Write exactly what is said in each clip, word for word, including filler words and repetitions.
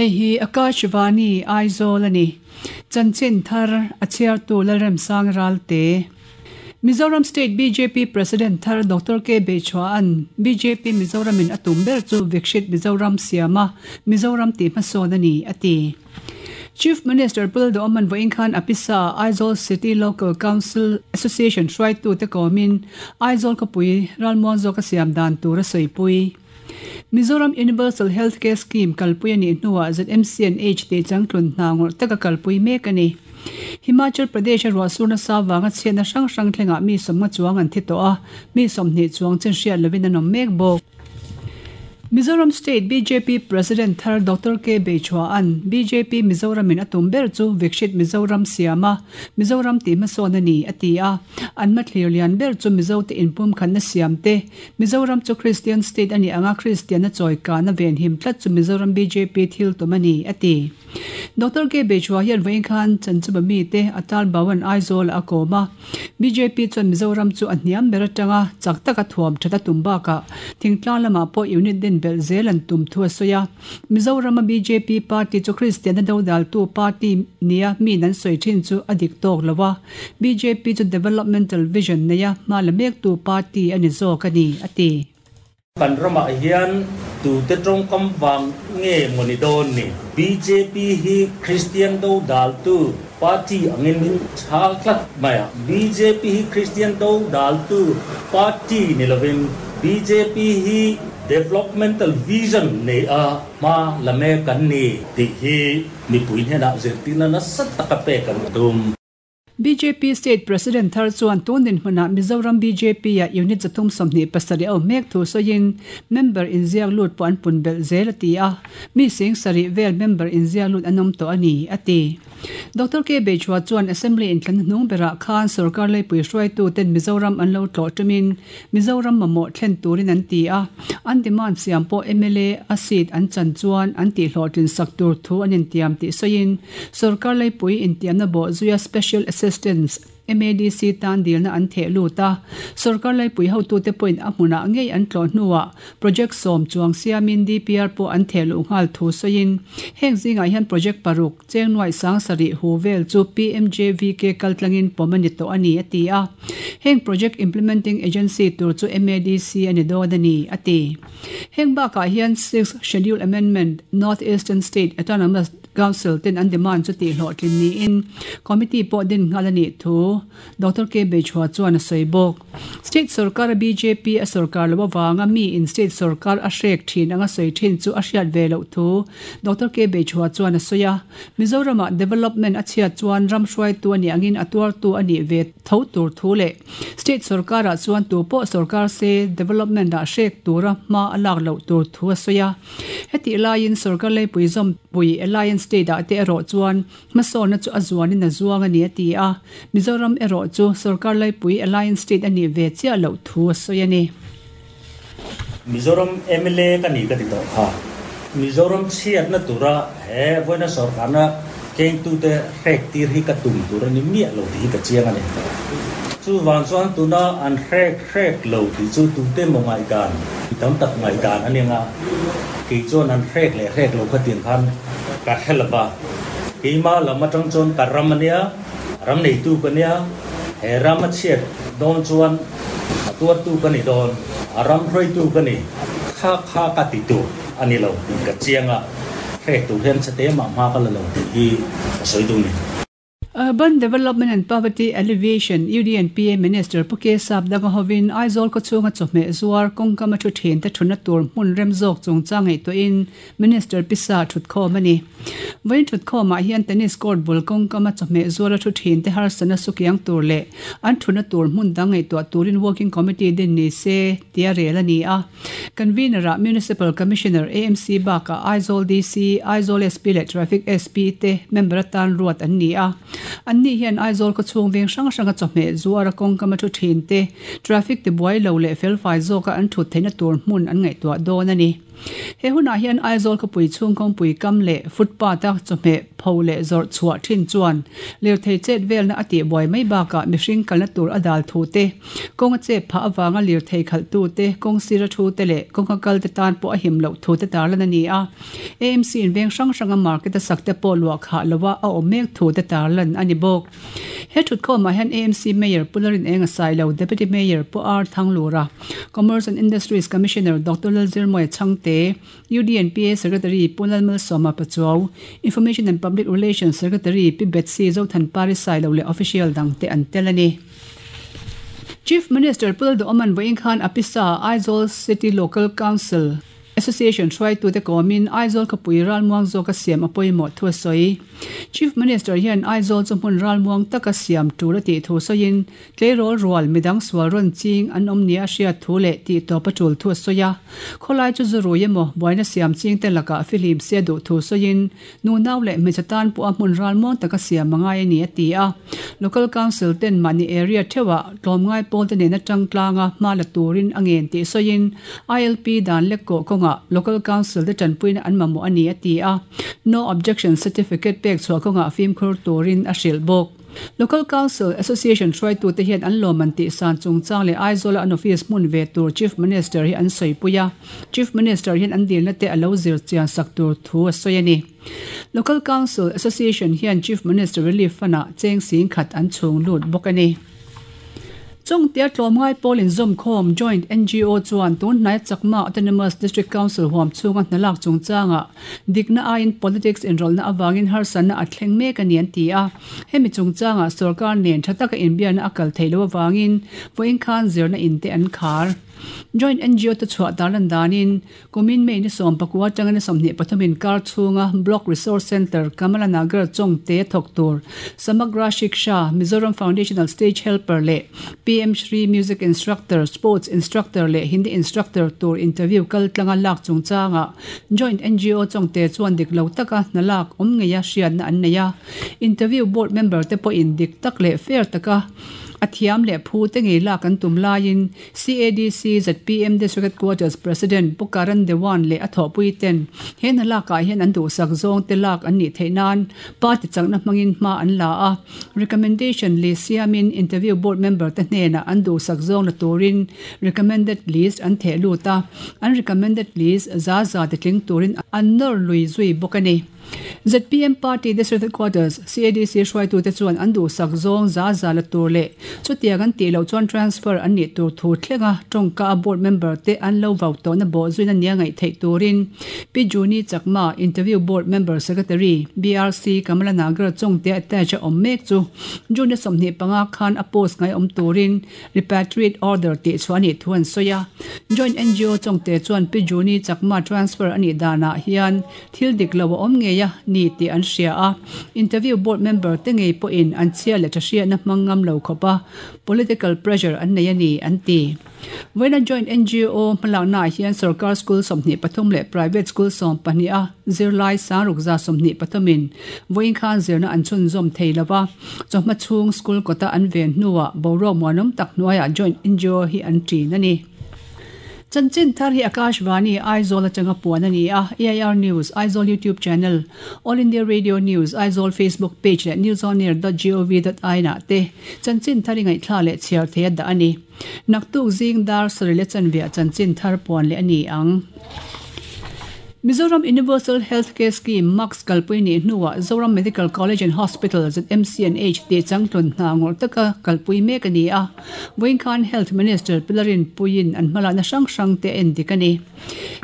Hei hi Akashvani Aizawl ani. Chanchin thar a chhiartu Lalremsang Ralte. Mizoram State B J P President thar Doctor K. Beichhua'n B J P Mizoram in atum ber chu Vikshit Mizoram siama Mizoram ti hmasawn ani ati. Chief Minister Pul Doman Voinkhan Apisa Aizawl City Local Council Association hruaitu te kawmin Aizawl khawpui ralmuang zawka siam dan tur a sawipui. Mizoram Universal Healthcare Scheme kalpui ani hnuah Z M C N H te changtlun hna ngawrh taka kalpui mek ani. Himachal Pradesh ruahsurna sawanga chhiatna hrang hrang thlengah mi sawmnga chuang an thi tawh a, mi sawmhnih chuang chen hriat lovin an awm mek bawk. Mizoram State B J P President thar Doctor K. Beichhua'n B J P Mizoram in atum ber chu Vikshit Mizoram siama Mizoram ti hmasawn ani ati a, an mathlir lian ber chu Mizo te inpum khanna siam te Mizoram chu Christian State ani anga Christian a chawika na ven him tlat chu Mizoram B J P thil tum ani ati. Doctor K. Beichhua hian Voinkhan chanchuba mi te Atal Bhawan Aizawl a kawma B J P chuan Mizoram chu a hniam ber atanga chak taka thuam thata tumbaka thingtlang lama pawh unit din bel zel an tum thu a sawi a. Mizoram B J P party chu Christian a dodal tu party nia mi nan sawi thin chu a dik tawk lova B J P chu developmental vision neia hma la mek tu party ani zawk ani ati. Kan rama hian tu te tawng kam wang nge moni don ni B J P hi Christian do dal tu party angin min chhal tlat maya B J P hi Christian do dal tu party ni lovin B J P hi developmental vision nei a ma lame kan ni ti hi mi pui hna zirtina na sat taka pe kan tum. B J P State President thar chuan tunin hmuna Mizoram B J P a unit zathum sawmhnih pasarih a awm mek thu sawiin member inziak lut pawh an pun belh zel a ti a, mi sing sarih vel member inziak lut an awm tawh ani ati. Doctor K. Beichhua chuan Assembly inthlan hnung berah khan sarkar leipui hruaitu ten Mizoram an lo tlawh tumin Mizoram mamawh thlen turin an ti a, an demand siam pawh M L A a seat an chan chuan an tih hlawhtlin sak tur thu an intiam tih sawiin sarkar leipui intiamna bawh zuia special assistance M A D C tan dilna an theh lut a, sarkar leipui hotu te pawhin a hmunah ngei an tlawh hnuah project sawm chuang siamin D P R pawh an theh luh nghal thu sawiin heng zingah hian project paruk chengnuai sang sarih hu vel chu P M J V K kaltlangin pawm ani tawh ani ati a, heng project implementing agency tur chu M A D C ani dawn ani ati. Heng bakah hian sixth Schedule Amendment North Eastern State Autonomous Council ten an demand chu tih hlawhtlin niin committee pawh din nghal ani thu Doctor K. Beichhua chuan a sawi bawk. State sarkar B J P a sarkar lo awanga mi in state sarkar a hrek thin anga sawi thin chu a hriat ve loh thu Doctor K. Beichhua chuan a sawi a. Mizorama development a chhiat chuan ram hruaitu ani angin a tuartu ani ve tho tur thu leh state sarkar ah chuan tu pawh sarkar se development ah hrek tura hma a lak loh tur thu a sawi a. Heti laiin sarkar leipui zawm pui alliance state ah te erawh chuan hmasawnna chu a zuanin a zuang ani ati a, Mizoram erawh chu sarkar leipui alliance state ani ve chiah loh thu a sawi ani. Mizoram M L A ka ni ka ti tawh kha Mizoram chhiatna tura he voina sarkarna keng tu te hrek tir hi ka tum tur ani miah lo ti hi ka chiang ani. Chu wang chuan tuna an hrek hrek lo ti chu tu te maw ngai dan tam tak ngai dan ani nga ki chuan an hrek leh hrek lo kha tiang khan ka helaba keima lama tang chuan ka ram ania ram nei tu ka nia he ram a chhiat dawn chuan a tuar tu ka ni dawn a ram hrui tu ka ni kha kha ka ti tu ani lo ti ka chianga hrek tu hian chate ma ma ka la lo ti hi ka sawi tu ni. Urban Development and Poverty Alleviation U D N P A Minister Puke Sap Dangahovin Aizawl ko chunga chawhmeh zuar kawngkam a thu thin te thuna tur hmun rem zawk chungchang ngaih tawhin Minister Pisa thutkhawm ani. Vawiin thutkhawmah hian tennis court bul kawngkam a chawhmeh zuar a thu thin te harsana sukiang tur leh an thuna tur hmun dang ngaihtuah turin working committee din ni se tia rel ani a. Convener ah Municipal Commissioner A M C baka Aizawl D C, Aizawl S P leh Traffic S P te member atan ruat an ni a. An ni hian Aizawl ko chhung veng hrang hrang a chawhmeh zuar a kawngkam a thu thin te traffic te buai lo leh felfai zawka an thut theihna tur hmun an ngaihtuah dawn ani. He hunah hian Aizawl khawpui chhung kawngpui kam leh footpath a chawhmeh pho leh zawrh chhuah thin chuan lirthei chet velna a tih buai mai bakah mihring kalna tur a dal thu te, kawng a chep phah avanga lirthei khalh tu te, kawng sira thu te leh kawnga kal te tan pawh a him loh thu te tarlan a ni a. A M C in veng hrang hranga market a sak te pawh luah khah loa a awm mek thu te tarlan a ni bawk. He thutkhawmah hian A M C Mayor Pu Larin Eng a Sailo, Deputy Mayor Pu R Thanglura, Commerce and Industries Commissioner Doctor Lalzirmawia Chhangte, U D N P A Secretary Pu Lalmalsawma Pachuau, Information and Public Relations Secretary Pi Betsy Zothanpari Sailo leh official dangte an tel a ni. Chief Minister Pu Lalduhoman vawiin khan a pisa Aizawl City Local Council Association hruaitute kawmin Aizawl khawpui ralmuang zawka siam a pawimawh thu a sawi. Chief Minister hian Aizawl chu hmun ralmuang taka siam tur a tih thu sawiin tleirawl rual midang sual rawn ching an awm nia a hriat thu leh tih tawp a tul thu a sawi a. Khawlai chu zu rui emaw buaina siam ching te lakah fihlim sia duh thu sawiin nunau leh hmeichhe tan pawh a hmun ralmuang taka siam a ngai a ni a ti a. Local Council ten mahni area theuhah tlawmngai pawl te nen atang tlanga hma la turin a ngen tih sawiin I L P dan lek kawh kawngah Local Council te tanpuina an mamawh a ni a ti a. No Objection Certificate pek chhuah kawngah fimkhur turin a hrilh bawk. Local Council Association hruaitute hian an lawm an tih san chungchang leh Aizawl a an office hmun ve tur Chief Minister hi an sawi a. Chief Minister hian an dilna te a lo zir chian sak tur thu a sawi a ni. Local Council Association hian Chief Minister Relief Fund-ah cheng sing khat an chhung lut bawk a ni. Chawngte tlawmngai pawl inzawm khawm Joint N G O chuan tun hnai Chakma Autonomous District Council huam chhunga hnalak chungchanga dikna aiin politics inrawlhna awangin harsana a thleng mek a ni an ti a. Hemi chungchanga sarkar nen tha taka inbiana a kal theilo awangin vawiin khan zirna in te an khar. Joint N G O te chhuah tarlan danin kumin mei ni sawm pakua tanga ni sawmhnih pathumin kar chhunga Block Resource Center Kamalanagar Chawngte thawk tur Samagra Shiksha Mizoram Foundational Stage Helper leh P M Shri Music Instructor Sports Instructor leh Hindi Instructor tur interview kal tlanga lak chungchanga Joint N G O Chawngte chuan dik lo taka hnalak awm ngeia hriatna an nei a. Interview board member te pawh in dik tak leh fair taka a thiam leh phu te ngei lak an tum laiin C A D C Z P M District Headquarters President Pu Karan Dewan leh a thawhpui ten he hnalakah hian an duhsak zawng te lak an nih theih nan party chakna hmangin hma an la a. Recommendation list siamin interview board member te hnenah an duhsak zawng la turin recommended list an theh lut a. An recommended list za za te tling turin an nawr lui zui bawk a ni. Z P M Party District Headquarters C A D C hruaitute chuan an duhsak zawng za za la tur leh chutiang an tih loh chuan transfer an nih tur thu thlenga tawngka a board member te an lo vau tawhna bawh zuina nia ngaih theih turin Pi Juni Chakma Interview Board Member Secretary B R C Kamalanagar Chawngte attach a awm mek chu June sawmhnih panga khan a post ngai awm turin repatriate order tih chhuah a nih thu an sawi a. Joint N G O Chawngte chuan Pi Juni Chakma transfer a nih danah hian thil dik lo a awm ngeia ni tih an hria a. Interview board member te ngei pawhin an chhia leh tha hriatna hmang ngam lo khawp a political pressure an nei a ni an ti. Vawiina Joint N G O hmalakna ah hian sarkar school sawmhnih pathum leh private school sawm pahnih a zirlai sangruk za sawmhnih pathumin vawiin khan zirna an chhunzawm thei lova. Chawhma chhung school kawta an ven hnuah boruak muanawm tak hnuaiah Joint N G O hi an ṭin a ni. Chanchin thar hi Akashvani Aizawl atanga puan a ni a. A I R News Aizawl YouTube channel, All India Radio News Aizawl Facebook page leh newsonair dot gov dot in ah te chanchin thar hi ngaihthla leh chhiar thei a dah a ni. Naktuk zing dar sarih leh chanveah chanchin thar puan leh a ni ang. Mizoram Universal Healthcare Scheme Max kalpui ni hnuah Zoram Medical College and Hospital Z M C and H ti changtlun hna ngawrh taka kalpui mek a ni a. Vawiin khan Health Minister Pilarin Puiin an hmalakna hrang hrang te en dik a ni.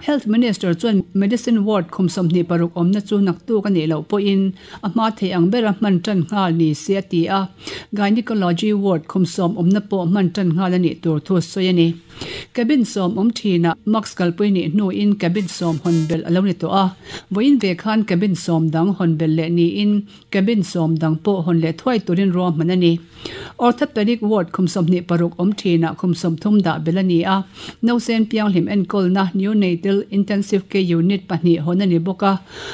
Health Minister chuan Medicine Ward khum sawmhnih paruk awmna chu naktuk a nih loh pawhin a hma thei ang bera hman tan nghal ni se a ti a. Gynecology Ward khum sawm awmna pawh hman tan nghal a nih tur thu sawi a ni. Cabin sawm awm thinah Max kalpui ni hnuin cabin sawm hawn bel a lo ni tawh a. Vawiin ve khan cabin sawm dang hawn bel leh niin cabin sawm dang pawh hawn leh thuai turin ruahman a ni. Orthopedic Ward khum sawmhnih paruk awm thinah khum sawm thum dah bel a ni a. Nausen pianghlim enkawlna Neonatal Intensive Care Unit pahnih hawn a ni bawk a.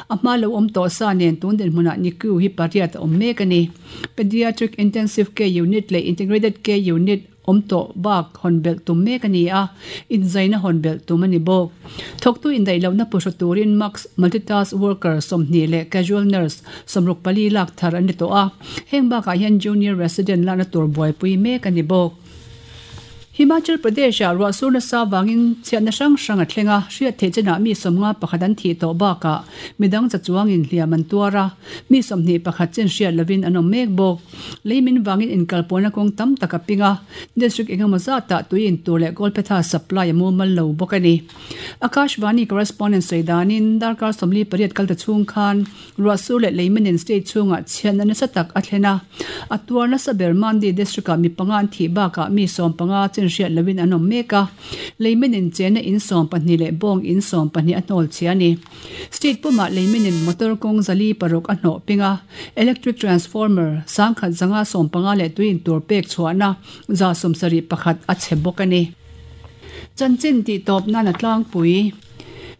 A hma lo awm tawh sa nen tun dinhmunah N I C U hi pariat a awm mek a ni. Pediatric Intensive Care Unit leh Integrated Care Unit awm tawh bak hawn belh tum mek a ni a, inzaina hawn belh tum a ni bawk. Thawktu indaih lohna puhra turin mask multitask worker sawmhnih leh casual nurse sawmruk pali lak thar an ni tawh a, heng bakah hian junior resident lakna tur buaipui mek a ni bawk. Himachal Pradesh ah ruahsur nasa vangin chhiatna hrang hrang a thleng a, hriat theih chenah mi sawmnga pakhat an thih tawh bakah midang cha chuangin hliam an tuar a, mi sawmhnih pakhat chen hriat lovin an awm mek bawk. Leimin vangin inkalpawhna kawng tam tak a ping a, district engemaw zatah tui in tur leh Kolpetha supply a mumal lo bawk a ni. Akashvani correspondent sawi danin darkar sawmli pariat kal ta chhung khan ruahsur leh leiminin state chhungah chhiatna nasa tak a thlen a, a tuar nasa ber Mandi district ah mi panga an thih bakah mi sawm panga chen hriat lovin an awm mek a, leiminin chena in sawm pahnih leh bawng in sawm pahnih a hnawl chhia a ni. State pumah leiminin motor kawng zali paruk a hnawh ping a, electric transformer sangkhat zanga sawm panga leh tui in tur pek chhuahna za sawm sarih pakhat a chhe bawk a ni. Chanchin tih tawp nan a tlangpui.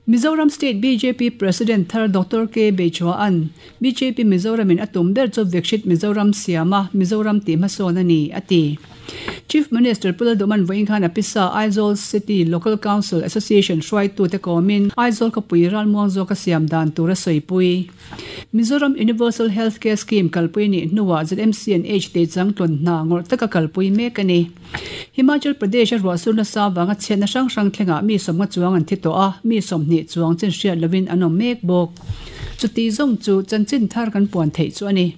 Mizoram State B J P President thar Doctor K Beichua-an B J P Mizoramin a tum ber chu Viksit Mizoram siama Mizoram tih hmasawn a ni, a ti. Chief Minister Pu Lalduhman vawiin khan a pisa Aizawl City Local Council Association hruaitute kawmin Aizawl khawpui ralmuang zawka siam dan tur a sawipui. Mizoram Universal Healthcare Scheme kalpui nih hnuah Z M C and H te changtlawn hna ngawrh taka kalpui mek a ni. Himachal Pradesh a ruahsur nasa vanga chhiatna hrang hrang thlengah mi sawmnga chuang an thi tawh a, mi sawmhnih chuang chen hriat lovin an awm mek bawk. Chuti zawng chu chanchin thar kan puan theih chu a ni.